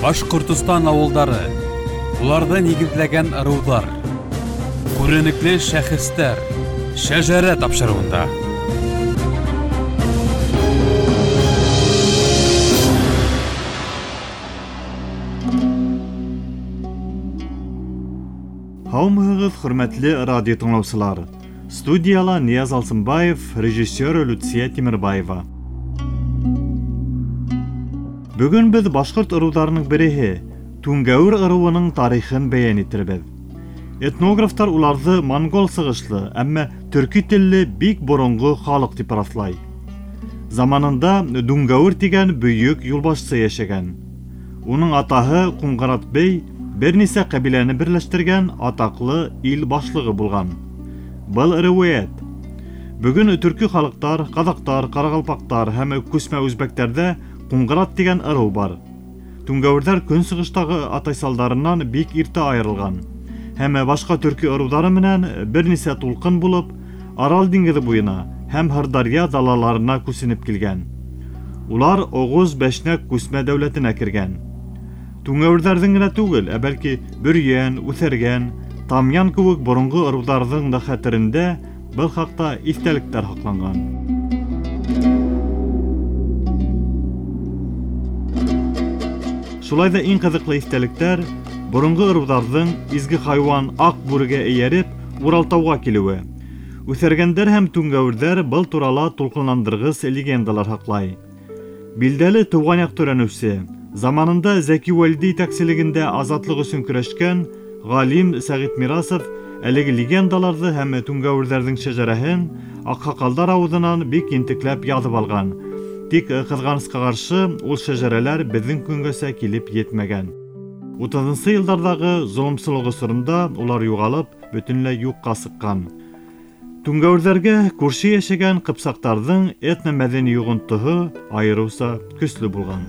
Башҡортостан ауылдары, уларҙы нигеҙләгән ырыуҙар, күренекле шәхестәр, Шәжәрә тапшырыуында. Һаумыһығыҙ, хөрмәтле радио тыңлаусылар. Студияла Нияз Алсынбаев, режиссер Люция Тимербаева. Бөгөн беҙ башҡорт ырыуҙарының береһе Түңгәүер ырыуының тарихын бәйән итербеҙ. Этнографтар уларҙы монгол сығышлы, әммә төрки телле бик боронғо халыҡ тип раҫлай. Заманында Дүңгәүер тигән бөйөк юлбашсы йәшәгән. Уның атаһы Ҡуңғырат бей бер нисә ҡәбиләне берләштергән атаҡлы ил башлығы булған. Был риүәйәт. Бөгөн төрки халыҡтар, ҡаҙаҡтар, ҡарағалпаҡтар һәм күсмә үзбәктәрҙә Ҡуңғырат тигән ырыу бар. Түңгәүерҙәр көнсығыштағы атайсалдарынан бик иртә айырылған. Һәм башҡа төрки ырыуҙары менән бер нисә тулҡын булып Арал диңгеҙе буйына һәм Һырдарья далаларына күсенеп килгән. Улар Оғоз Бәшнәк күсмә дәүләтенә кергән. Түңгәүерҙәрҙең генә түгел, ә бәлки Бөрйән, Үҫәргән, Тамъян кеүек боронғо ырыуҙарҙың да хәтерендә был хаҡта иҫтәлектәр һаҡланған. Шулай ҙа иң ҡыҙыҡлы иҫтәлектәр боронғо ырыуҙарҙың изге хайуан аҡ бүрегә эйәреп Уралтауға килеүе. Үҫәргәндәр һәм түңгәүерҙәр был турала тулҡынландырғыс легендалар һаҡлай. Билдәле тыуған яҡ өйрәнеүсе, заманында Зәки Вәлиди етәкселегендә азатлыҡ өсөн көрәшкән ғалим Сәғит Мирасов әлеге легендаларҙы һәм түңгәүерҙәрҙең шәжәрәһен аҡһаҡалдар ауыҙынан бик ентекләп яҙып алған. Тик ҡыҙғанысҡа ҡаршы ул шәжәрәләр беҙҙең көнгәсә килеп етмәгән. 30-нсы йылдарҙағы золомсылыҡ осоронда улар юғалып, бөтөнләй юҡҡа сыҡҡан. Түңгәүерҙәргә күрше йәшәгән ҡыпсаҡтарҙың этномәҙәни йоғонтоһо айырыуса көслө булған.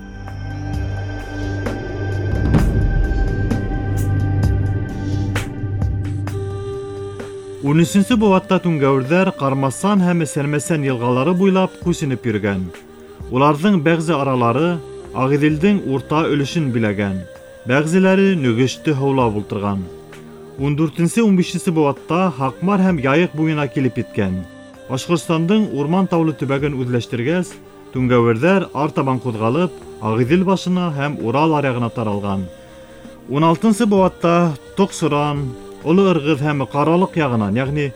Ун өсөнсө быуатта түңгәүерҙәр Ҡармасан һәм Сәрмәсән йылғалары буйлап күсенеп йөрөгән. Уларҙың бәғзе аралары Ағиҙелдең урта өлөшөн биләгән, бәғзеләре Нөгөштө һыулап ултырған. 14-15 быуатта Һаҡмар һәм Яйыҡ буйына килеп еткән. Башҡортостандың урман таулы төбәген үҙләштергәс, түңгәүерҙәр артабан ҡуҙғалып, Ағиҙел башына һәм Урал аръяғына таралған. 16-нсы быуатта Тоҡсоран, Оло Ырғыҙ һәм Ҡаралыҡ яғынан, йәғни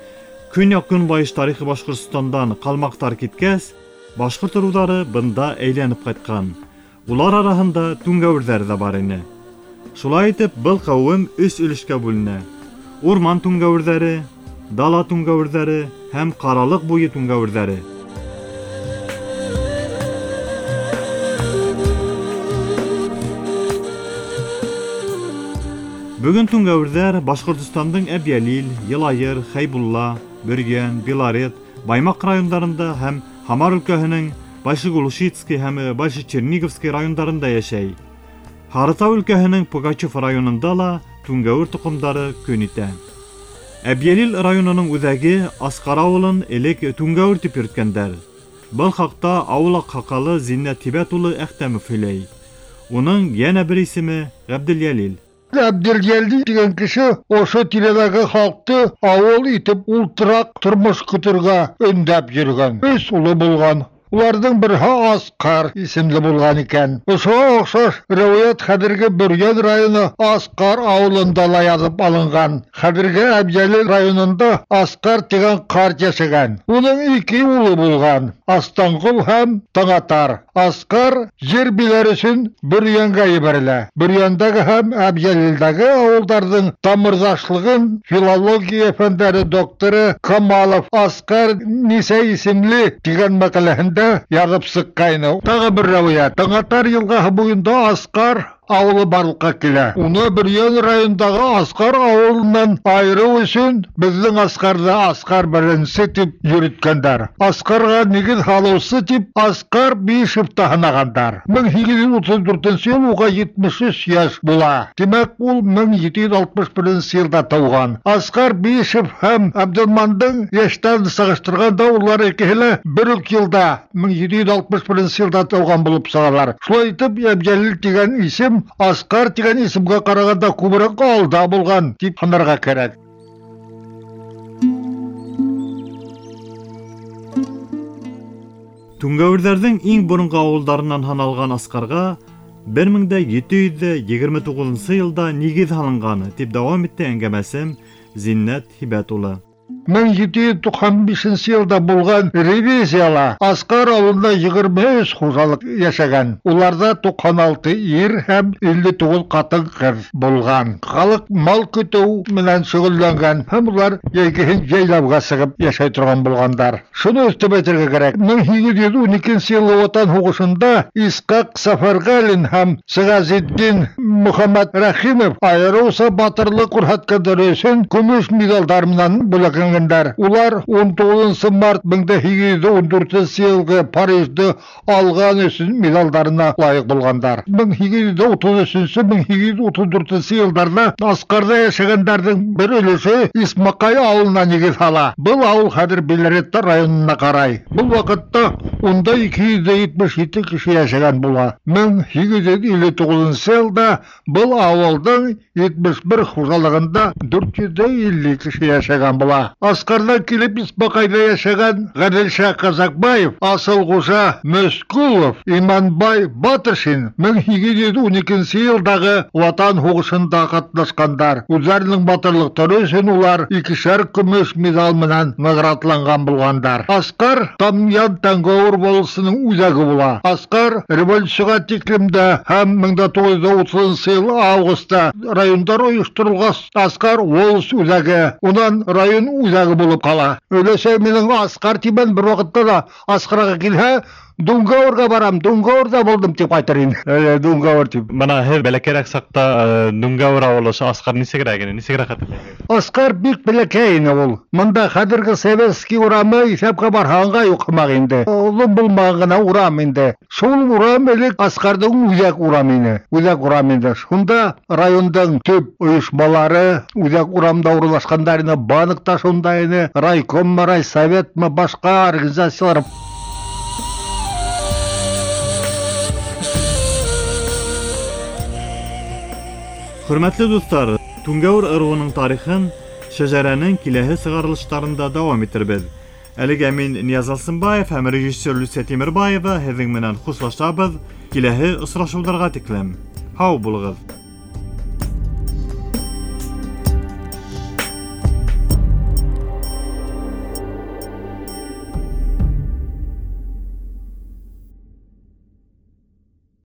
көньяҡ-көнбайыш тарихы Башҡортостандан ҡалмаҡтар киткәс, башҡорт ырыуҙары бында әйләнеп ҡайтҡан. Улар араһында түңгәүерҙәр ҙә бар ине. Шулай итеп, был ҡәүем өс өлөшкә бүленә: урман түңгәүерҙәре, дала түңгәүерҙәре һәм ҡаралыҡ буйы түңгәүерҙәре. Бөгөн түңгәүерҙәр Башҡортостандың Әбйәлил, Йылайыр, Хәйбулла, Бөрйән, Белорет, Баймаҡ райондарында һәм Һамар өлкәһенең Большеглушицкий һәм Большечерниговский райондарында йәшәй. Һарытау өлкәһенең Пугачев районында ла түңгәүер тоҡомдары көн итә. Әбйәлил районының үҙәге Асҡар ауылын элек Түңгәүер тип йөрөткәндәр. Был хаҡта ауыл аҡһаҡалы Зиннәт Һибәт улы Әхтәмов һөйләй. Уның йәнә бер исеме Ғәбделйәлил. Ғәбделйәлил тигән кеше ошо тирәләге халҡты ауыл итеп ултыраҡ тормош көтөргә өндәп йөрөгән. Өс улы булған. Уларҙың береһе Асҡар исемле булған икән. Ошоға оҡшаш риүәйәт хәҙерге Бөрйән районы Асҡар ауылында ла яҙып алынған. Хәҙерге Әбйәлил районында Асҡар тигән ҡарт йәшәгән. Уның ике улы булған: Астанғол һәм Таңатар. Асҡар ер биләр өсөн Бөрйәнгә ебәрелә. Бөрйәндәге һәм Әбйәлилдәге ауылдарҙың тамырҙашлығын филология фәндәре докторы Камалов Асҡар нисә исемле тигән мәҡәләһендә яҙып сыҡҡайны. Тағы бер риүәйәт. Таңатар йылғаһы буйында Асҡар ауылы барлыҡҡа килә. Уны Бөрйән районындағы Асҡар ауылынан айырыу өсөн беҙҙең Асҡарҙы Асҡар беренсе тип йөрөткәндәр. Асҡарға нигеҙ һалыусы тип Асҡар Бишев та һанағандар. 1834 йыл уға 73 йәш була. Тимәк, ул 1761 йылда тыуған. Асҡар Бишев һәм Абделмандың йәштәрен сағыштырғанда улар икеһе лә бер үк йылда 1761 йылда тыуған булып сығалар. Шулай итеп, Әбйәлил тигән исем исем Асҡар тигән исемгә ҡарағанда күберәк алда булған тип һанарға кәрәк. Түңгәүерҙәрҙең иң боронғо ауылдарынан һаналған Асҡарға 1729 йылда нигеҙ һалынған, тип дауам итте әңгәмәсем Зиннәт Һибәт улы. 1795 йылда булған ревизияла Асҡар ауылында 23 хужалыҡ йәшәгән. Уларҙа 96 ир һәм 59 ҡатын-ҡыҙ булған. Халыҡ мал көтөү менән шөғөлләнгән һәм улар йәйгеһен йәйләүгә сығып йәшәй торған булғандар. Шуны өҫтәп әйтергә кәрәк, 1812 йылғы Ватан һуғышында Исҡаҡ Сафарғәлин һәм Сиғазетдин Мөхәммәт Рәхимов айырыуса батырлыҡ күрһәткәндәре өсөн көмөш миҙалдар менән бүләкләнгәндәр. Улар 19 март 1814 йылғы Парижды алған өсөн медалдарына лайыҡ булғандар. 1833-1834 йылдарҙа Асҡарҙа йәшәгәндәрҙең бер өлөшө Исмаҡай ауылына нигеҙ һала. Был ауыл хәҙер Белореттә районына ҡарай. Был ваҡытта унда 277 кеше йәшәгән була. 1859 йылда был ауылдың 71 хужалығында 450 кеше йәшәгән була. Асҡарҙан килеп Исмаҡайҙа йәшәгән Ғәҙелша Ҡазаҡбаев, Асылғужа Мөскүлов, Иманбай Батыршин 1812 йылдағы Ватан һуғышында ҡатнашҡандар. Үҙҙәренең батырлыҡтары өсөн улар икешәр көмөш миҙал менән наградланған булғандар. Асҡар Тамъян Тәңгәүер волосының үҙәге була. Асҡар революцияға тиклем дә һәм 1930 йыл августта райондар ойошторолғас, Асҡар волос үҙәге, унан район үҙәге булып ҡала. Өләсәй минең Асҡар тимән, бер ваҡытта ла Асҡарға килһә, Дүңгәүергә барам, Дүңгәүерҙә булдым тип ҡайтыр ине. Дүңгәүер тип. Бына һеҙ бәләкәйерәк саҡта Дүңгәүер ауылы ошо Асҡар нисегерәк ине, нисегерәк хәтерләйһегеҙ? Асҡар бик бәләкәй ине ул. Бында хәҙерге Советский урамы иҫәпкә барһаңға юҡ һымаҡ инде. Оҙон булмаған ғына урам инде. Шул урам элек Асҡарҙың үҙәк урамы ине. Үҙәк урам инде. Шунда райондың төп ойошмалары үҙәк урамда урынлашҡандар ине. Банк та шунда ине, райкоммы, райсоветмы, башҡа организациялар. Хөрмәтле дуҫтар, Түңгәүер ырыуының тарихын шәжәрәнең киләһе сығарылыштарында дауам итербеҙ. Әлегә мин Нияз Алсынбаев һәм режиссер Люция Тимербаева һеҙҙең менән хушлашабыҙ. Киләһе осрашыуҙарға тиклем. Һау булығыҙ.